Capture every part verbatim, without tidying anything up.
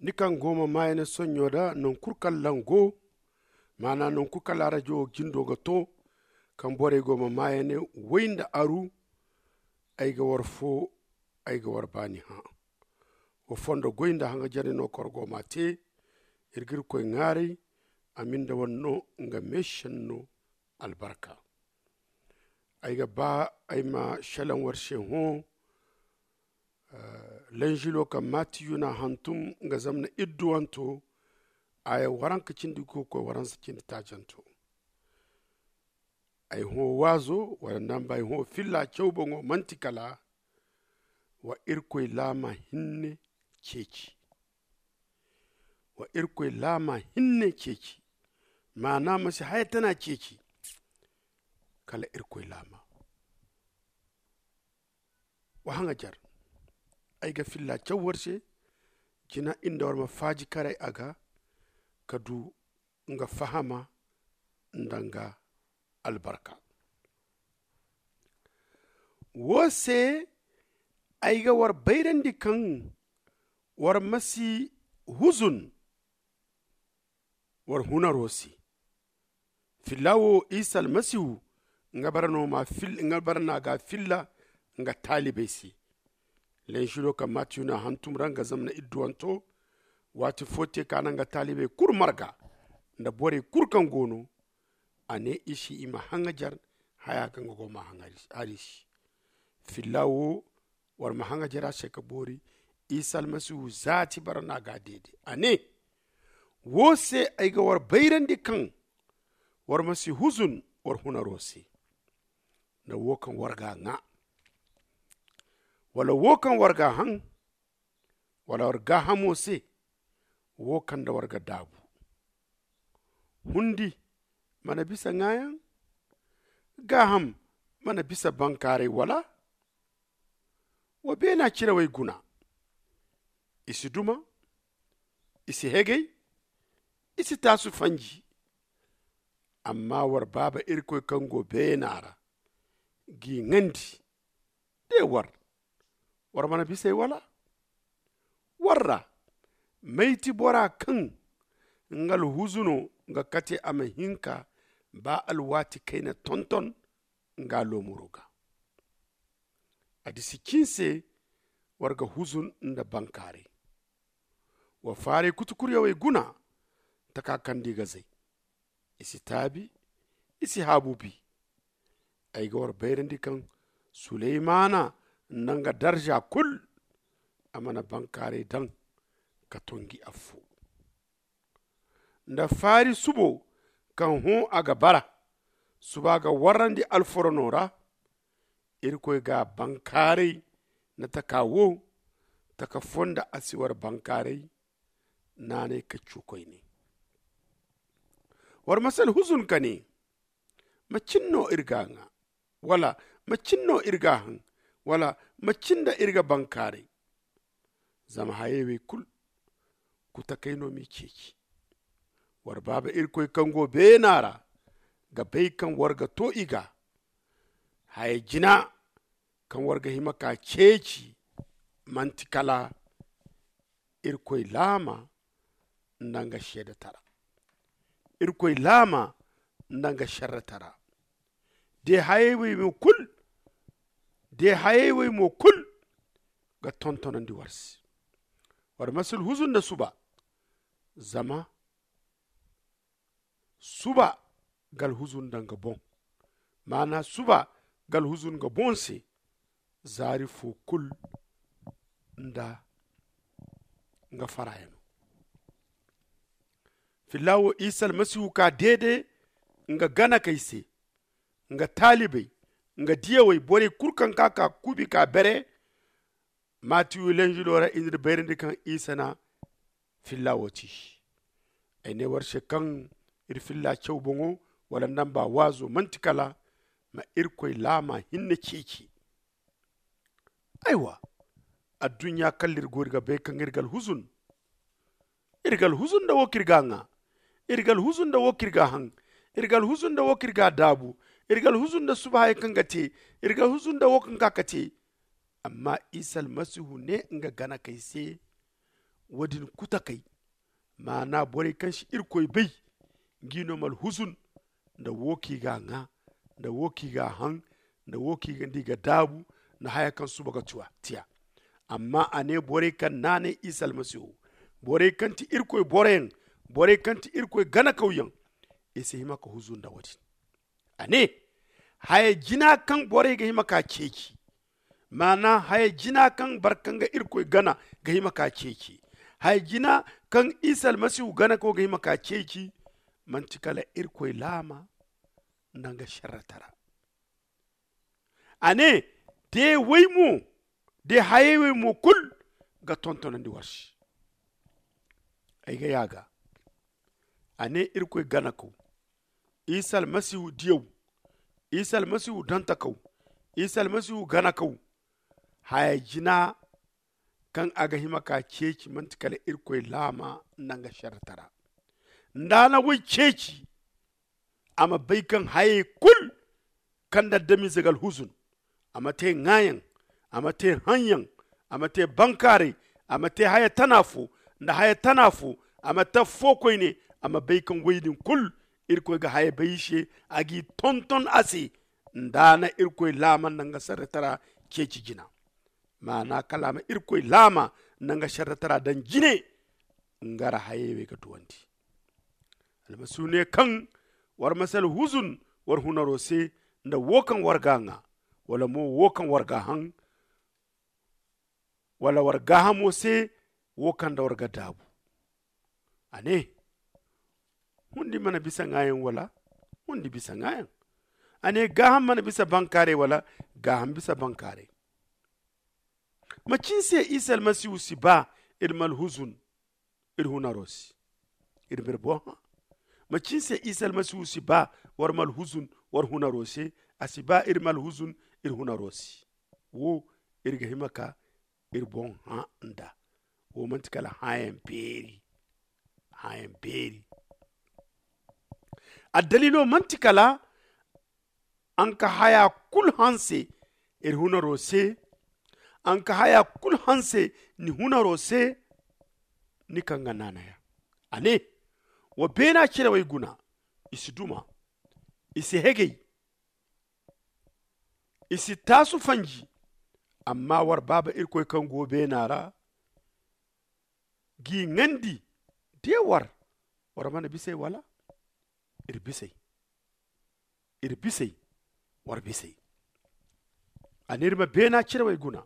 Ni kaŋ go ma maayane sonɲo da naŋ kulu kaŋ lango, maana naŋ kulu kaŋ laarajo jindo ga to, kaŋ borey go ma maayane way nda aru. Ay ga war fo, ay ga war baani hã. Wa fondo goy nda haŋajarey no kaŋ war go ma a te. Iri ga irkoy ŋwaaray, a ma ni nda war no nga meešenno albarka. Ay ga ba ay ma šelaŋ war se hõ. Lanzilo kaŋ matiyu na hantum nga zamna idduwanto, aya waranka cindi ga koy waransa cindi taacanto. Ay hõ waazo wala nda ay hõ filla caw boŋo manti kala wa irkoy laama hinne ceeci. Wa irkoy laama hinne ceeci. Maana ma si haya tana ceeci. Kala irkoy laama. Wa haŋajar. Ay ga filla caw war se. Jina inda war ma faaji karay a ga ka du nga fahama nda nga albarka. Wo se ay ga war bayrandi kaŋ war ma si huzun war hunaro se. Filla wo isa almasihu nga bara no ma fil nga bara na ga filla nga taalibey se. Lenširo kaŋ matiyu na hantum ra nga zamna idduwanto. Waati fo te ka na nga taalibey kulu marga nda borey kulu kaŋ go no. A ne i se i ma haŋajar haya kaŋ ga go ma haŋajar i se. Filla wo war ma haŋajar a se ka boori. Isa almasihu zaati bara no a ga a deede a ne, wo se ay ga war bayrandi kaŋ war ma si huzun war hunaro se. Nda wo kaŋ war ga a ŋwa wala wo kaŋ war ga a haŋ wala war gaahamo se. Wo kaŋ nda war ga daabu hundi mana bisa ŋwaayaŋ. Gaaham mana bisa bankaaray wala? Wa beena cirawey guna. I si duma, i si hegay, i si taasu fanji. Amma war baaba irkoy kaŋ go beena ra g'i ŋandi. De war war mana bis'ey wala? War ra may ti bora kaŋ nga alhuzuno ga kate a ma hin ka ba alwaati kayna tonton nga loomaro ga? A disi cin se war ga huzun nda bankaaray. Wa faaray kutukuryawey guna taka kaŋ di ga zay. I si taabi, i si haabu bi. Ay ga war bayrandi kaŋ suleymana nda nga darza kulu a mana bankaaray daŋ ka tonji affo. Nda faari subo kaŋ hõ a ga bara suba ga warrandi alforono ra. Irkoy ga bankaaray nda taka wo taka fo nda a si war bankaaray. Naanay ka cuukoy ne war ma si alhuzun ka ne macin no iri ga a ŋwa? Wala macin no iri ga a haŋ? Wala macin nda iri ga bankaaray? Zama hayey wey kulu kutakay no m'i ceeci. War baaba irkoy kaŋ go beena ra ga bay kaŋ war ga to i ga. Haya jina kaŋ war ga hima ka ceeci manti kala irkoy laama nda nga seedatara. Irkoy laama nda nga serretara. De hayey wey mo kulu de hayey wey mo kulu ga tontonandi war se. War ma si alhuzun nda suba zama suba ga alhuzun nda nga boŋ. Maana suba ga alhuzun nga boŋ se zaari fo kulu nda nga farayano. Filla wo isa almasihu ka deede nga ganakey se nga taalibey nga diyawey borey kulu kaŋ ka ka kuubi ka bere. Matiyu lenzudo ra i n'iri bayrandi kaŋ isa na filla wo ti. Ay ne war se kaŋ iri filla caw boŋo wala nda nba waazo manti kala ma irkoy laama hinne ceeci. Aywa, adduɲɲa kala iri go iri ga bay kaŋ iri ga alhuzun. Iri ga alhuzun nda wo kaŋ iri ga a ŋwa. Iri ga alhuzun nda wo kaŋ iri ga a haŋ. Iri ga alhuzun nda wo kaŋ iri ga a daabu. Iri ga alhuzun nda suba hayey kaŋ ga te. Iri ga alhuzun nda wo kaŋ ga ka te. Amma isa almasihu ne nga ganakey se, Wo- din kutakey, maana borey kaŋ si irkoy bay, ngi no malhuzun, nda wo kaŋ i ga a ŋwa, nda wo kaŋ i ga a haŋ, nda wo kaŋ i ga nda i ga daabu, nda haya kaŋ suba ga tiya. Amma a ne borey kaŋ naanay isa almasihu, borey kaŋ ti irkoy boroyaŋ, borey kaŋ ti irkoy ganakawyaŋ, i si hima ka huzu nda wo- din. A ne, haya jina kaŋ borey ga hima ka ceeci, maana haya jina kaŋ barkaŋ ga irkoy gana ga hima ka ceeci, haya jina kaŋ isa almasihu ganako ga hima ka ceeci, manti kala irkoy laama nda nga serretara. A ne, de way mo, de hayey way mo kulu ga tontonandi war se. Ay ga yaaga, a ne, irkoy ganako, isa almasihu diyaw, isa almasihu dantakaw, isa almasihu ganakaw, haya jina kaŋ a ga hima ka ceeci manti kala irkoy laama nda nga serretara. Nda a na way ceeci, a ma bay kaŋ hayey kulu kaŋ nda adamize ga alhuzun, a ma te ŋwaayaŋ, a ma te haŋyaŋ, a ma te bankaaray, a ma te haya tana fo nda haya tana fo, a ma te affo koyne. A ma bay kaŋ woy din kulu irkoy ga haya bay i se, a g'i tonton a se, nda a na irkoy laama nda nga serretara ceeci jina. Maana kala a ma irkoy laama nda nga serretara daŋ jine. Nga ra hayey wey ga duwandi. Almasihu ne kaŋ war ma si alhuzun war hunaro se, nda wo kaŋ war ga a ŋwa, wala mo wo kaŋ war ga a haŋ, wala war gaahamo se, wo kaŋ nda war ga daabu. A ne, hundi mana bisa ŋwaayaŋ wala? Hundi bisa ŋwaayaŋ. A ne, gaaham mana bisa bankaaray wala? Gaaham bisa bankaaray. Macin se isa almasihu si ba iri ma alhuzun iri hunaro se, iri ma iri boŋ hã? Macin se isa almasihu si ba war ma alhuzun war hunaro se? A si ba iri ma alhuzun iri hunaro se. Wo, iri ga hima ka iri boŋ hã nda. Wo manti kala hãyaŋ beeri. Hãyaŋ beeri. Addaliilo manti kala a na ka haya kulu hanse iri hunaro se. A na ka haya kulu hanse ni hunaro se. Ni kaŋ ga naanaya, a ne, wa beena cirawey guna. I si duma, i si hegay, i si taasu fanji. Amma war baaba irkoy kaŋ go beena ra g'i ŋandi. De war, war mana bis'ey wala? Iri bis'ey. Iri bis'ey. War bis'ey. A ne iri ma beena cirawey guna.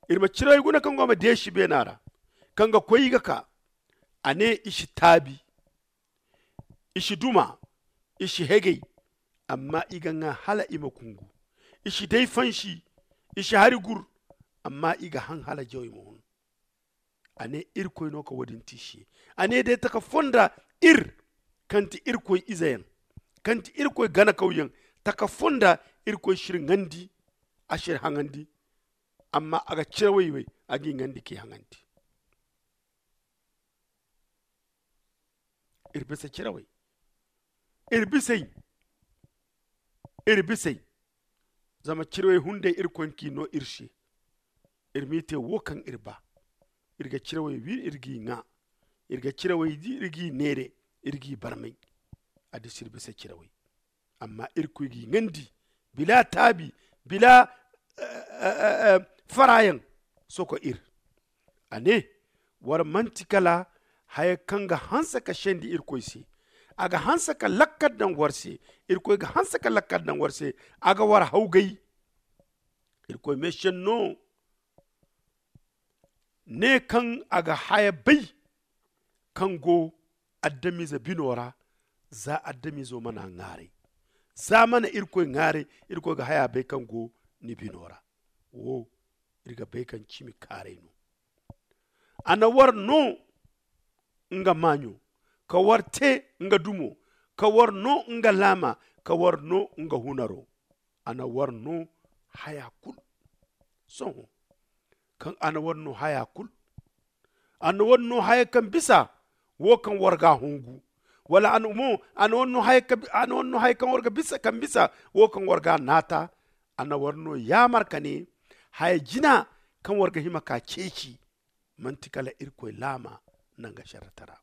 Iri ma cirawey guna kaŋ go ma deesi beena ra, kaŋ ga koy i ga ka. A ne i si taabi, i si duma, i si hegay. Amma i ga ŋwa hala i ma kungu. I si day fansi, i si hari gur. Amma i ga haŋ hala jawey ma hun. A ne irkoy no ka wo- din te i se. A ne day taka fonda, ir kaŋ ti irkoy izeyaŋ, kaŋ ti irkoy ganakawyaŋ, taka fonda irkoy si iri ŋandi. A si iri haŋandi. Amma a ga cirawey wey, a g'i ŋandi k'i haŋandi. Iri bisa cirawey. Iri bis'ey. Iri bis'ey. Zama cirawey hunday irkoy k'i no iri se. Iri m'i te wo kaŋ iri ba. Iri ga cirawey wi, iri g'i ŋwa. Iri ga cirawey di, iri g'i neere, iri g'i barmay. A disi iri bisa cirawey. Amma irkoy g'i ŋandi bila taabi, bila farayaŋ. Soko iri. A ne, war manti kala haya kaŋ ga hanse ka sendi irkoy se. A ga hanse ka lakkal daŋ war se. Irkoy ga hanse ka lakkal daŋ war se. A ga war hawgay. Irkoy meesenno ne kaŋ a ga haya bay kaŋ go adamize bino ra. Za adamizo mana ŋwaaray, za mana irkoy ŋwaaray, irkoy ga haya bay kaŋ go ni bino ra. Wo, iri ga bay kaŋ cimi kaaray no. A na war no nga maaɲo, ka war te nga dumo, ka war no nga laama, ka war no nga hunaro. A na war no haya kulu. Sohõ, kaŋ a na war no haya kulu, a na war no haya kaŋ bisa wo kaŋ war ga a hungu. Wala a na mo, a na war no haya kaŋ war ga bisa kaŋ bisa wo kaŋ war ga a naata. A na war no yaamar ka ne, haya jina kaŋ war ga hima ka ceeci, manti kala irkoy laama nanga sharratara.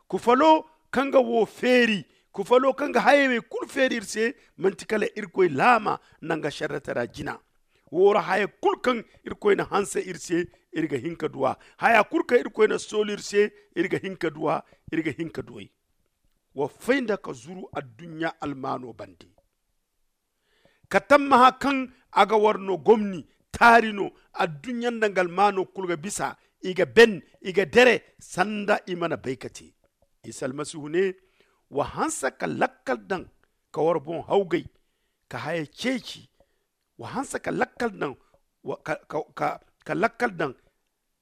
Kufalo kaŋ ga wo feeri, kufalo kaŋ ga hayey wey kulu feeri iri se, manti kala irkoy laama nanga sharratara jina. Wo ra haya kulu kaŋ irkoy na hanse iri se, iri ga hin ka duw'a. Haya kulu kaŋ irkoy na soolu iri se, iri ga hin ka duw'a. Iri ga hin ka duw'ey. Wa fay nda ka zuru adduɲɲa almaano bande, ka tammaha kaŋ a ga war no gomni, taari no. Adduɲɲa nda nga almaano kulu ga bisa, i ga ben, i ga dere sanda i mana bay ka te. Isa almasihu ne, wa hanse ka lakkal daŋ, ka war boŋ hawgay, ka haya ceeci. Wa hanse ka lakkal daŋ, ka lakkal daŋ,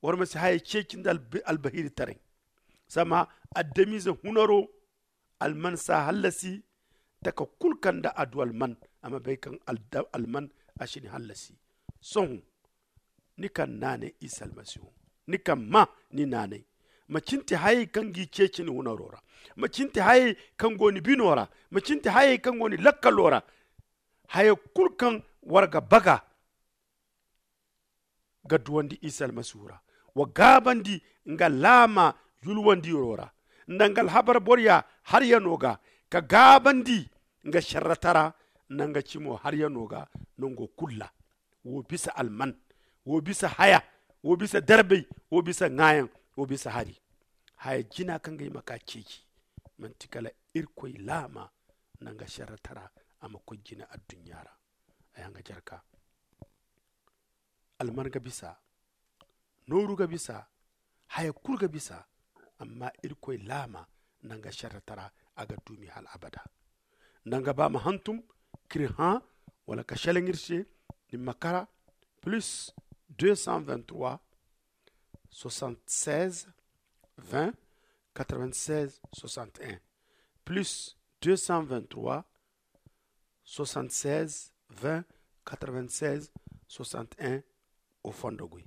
war ma si haya ceeci nda albahiritaray. Zama adamize hunaro, alman si a hallasi. Taka kulu kaŋ nda a du alman, a ma bay kaŋ alman a si ni hallasi. Sohõ, ni kaŋ naanay isa almasihu, ni kaŋ ma ni naanay, ma cinte hayey kaŋ g'i ceeci ni hunaro ra, ma cinte hayey kaŋ go ni bino ra, ma cinte hayey kaŋ go ni lakkalo ra. Haya kulu kaŋ war ga baga ga duwandi isa almasihu ra, wa gaabandi nga laama yulwandiro ra, nda nga alhabar boroya haryano ga, ka gaabandi nga sharratara nda nga cimo haryano ga, nango kulu ra. Wo bisa alman, wo bisa haya, wo bisa darbay, wo bisa ŋaayaŋ, wo bisa hari. Haya jina kaŋ ga hima ka ceeci, manti kala irkoy laama nda nga sharratara a ma koy jina adduɲɲa ra. Ay hanga jarka, alman ga bisa, nooru ga bisa, haya kulu ga bisa. Amma irkoy laama nda nga sharratara, a ga duumi hal abada. Nda nga ba ma hantum k'iri hã, wala ka shalaŋ iri se, ni ma kara plus deux cent vingt-trois, soixante-seize, vingt, quatre-vingt-seize, soixante-un, plus deux cent vingt-trois, soixante-seize, vingt, quatre-vingt-seize, soixante-un, o fondo goy.